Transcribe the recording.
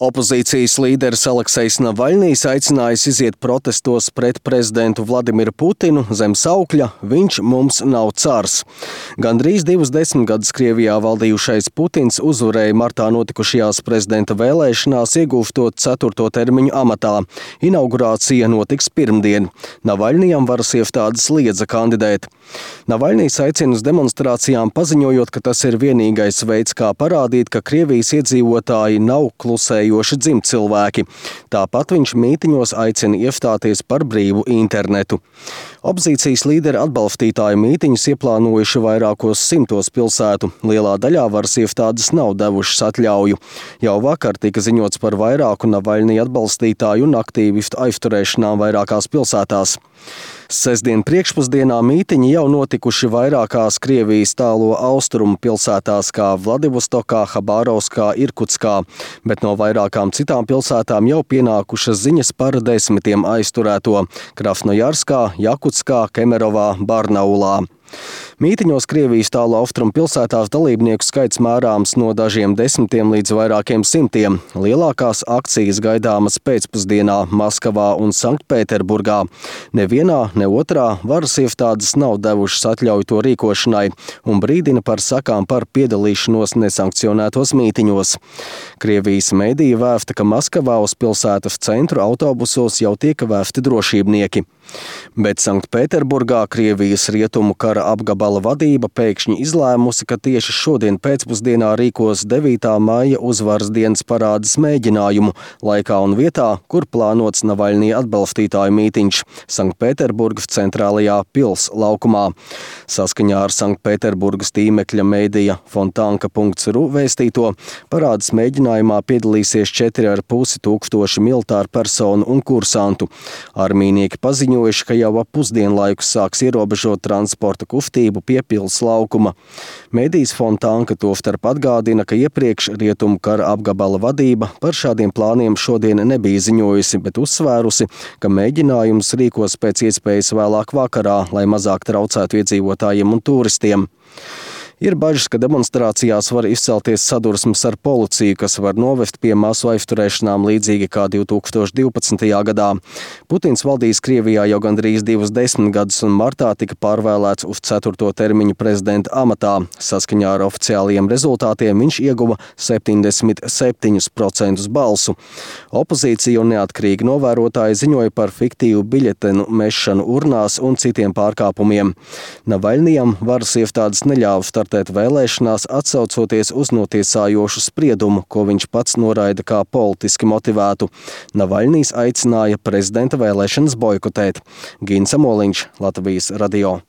Opozīcijas līderis Aleksejs Navaļnijs aicinājis iziet protestos pret prezidentu Vladimiru Putinu zem saukļa "Viņš mums nav cars". Gandrīz 2 desmitgadus Krievijā valdījušais Putins uzvarēja martā notikušajās prezidenta vēlēšanās, iegūstot 4. termiņu amatā. Inaugurācija notiks pirmdien. Navaļnijam varas iestādes liedza kandidēt. Navaļnijs aicina uz demonstrācijām, paziņojot, ka tas ir vienīgais veids, kā parādīt, ka Krievijas iedzīvotāji nav klusējoši dzimtcilvēki. Tāpat viņš mītiņos aicina iestāties par brīvu internetu. Opozīcijas līderi atbalstītāju mītiņus ieplānojuši vairākos 100 pilsētu. Lielā daļā varas iestādes nav devušas atļauju. Jau vakar tika ziņots par vairāku Navaļnija atbalstītāju un aktīvistu aizturēšanām vairākās pilsētās. Sestdien priekšpusdienā mītiņi jau notikuši vairākās Krievijas tālo austrumu pilsētās kā Vladivostokā, Habārovskā, Irkutskā, bet no vairākām citām pilsētām jau pienākušas ziņas par 10 aizturēto – Krasnojarskā, Jakutskā, Kemerovā, Barnaulā. Mītiņos Krievijas tālu austrumu pilsētās dalībnieku skaits mērāms no dažiem desmitiem līdz vairākiem simtiem. Lielākās akcijas gaidāmas pēcpusdienā Maskavā un Sanktpēterburgā. Nevienā, ne otrā varas iestādes nav devušas atļauju to rīkošanai un brīdina par sakām par piedalīšanos nesankcionētos mītiņos. Krievijas mediji vēsta, ka Maskavā uz pilsētas centru autobusos jau tiek vēsti drošībnieki. Bet Sanktpēterburgā Krievijas rietumu kara apgabala vadība pēkšņi izlēmusi, ka tieši šodien pēcpusdienā rīkos 9. maija uzvaras dienas parādes mēģinājumu laikā un vietā, kur plānots Navaļnija atbalstītāju mītiņš – Sanktpēterburgas centrālajā pils laukumā. Saskaņā ar Sanktpēterburgas tīmekļa mēdīja Fontanka.ru vēstīto, parādes mēģinājumā piedalīsies 4,5 tūkstoši militāru personu un kursantu. Armijnieki paziņojuši, ka jau ap pusdienlaiku sāks ierobežot transporta kustību pie pils laukuma. Mēdījis Fontanka tostarp atgādina, ka iepriekš rietumu kara apgabala vadība par šādiem plāniem šodien nebija ziņojusi, bet uzsvērusi, ka mēģinājums rīkos pēc iespējas vēlāk vakarā, lai mazāk traucētu iedzīvotājiem un turistiem. Ir bažas, ka demonstrācijās var izcelties sadursmes ar policiju, kas var novest pie masu aizturēšanām līdzīgi kā 2012. gadā. Putins valdīs Krievijā jau gandrīz 2 desmitgadus un martā tika pārvēlēts uz 4. termiņu prezidenta amatā. Saskaņā ar oficiālajiem rezultātiem viņš ieguva 77% balsu. Opozīcija un neatkarīgi novērotāji ziņoja par fiktīvu biļetenu mešanu urnās un citiem pārkāpumiem. Navaļnijam varas iestādes neļāva startēt vēlēšanās, atsaucoties uz notiesājošu spriedumu, ko viņš pats noraida kā politiski motivētu. Navaļnijs aicināja prezidenta vēlēšanas boikotēt. Gins Amoliņš, Latvijas radio.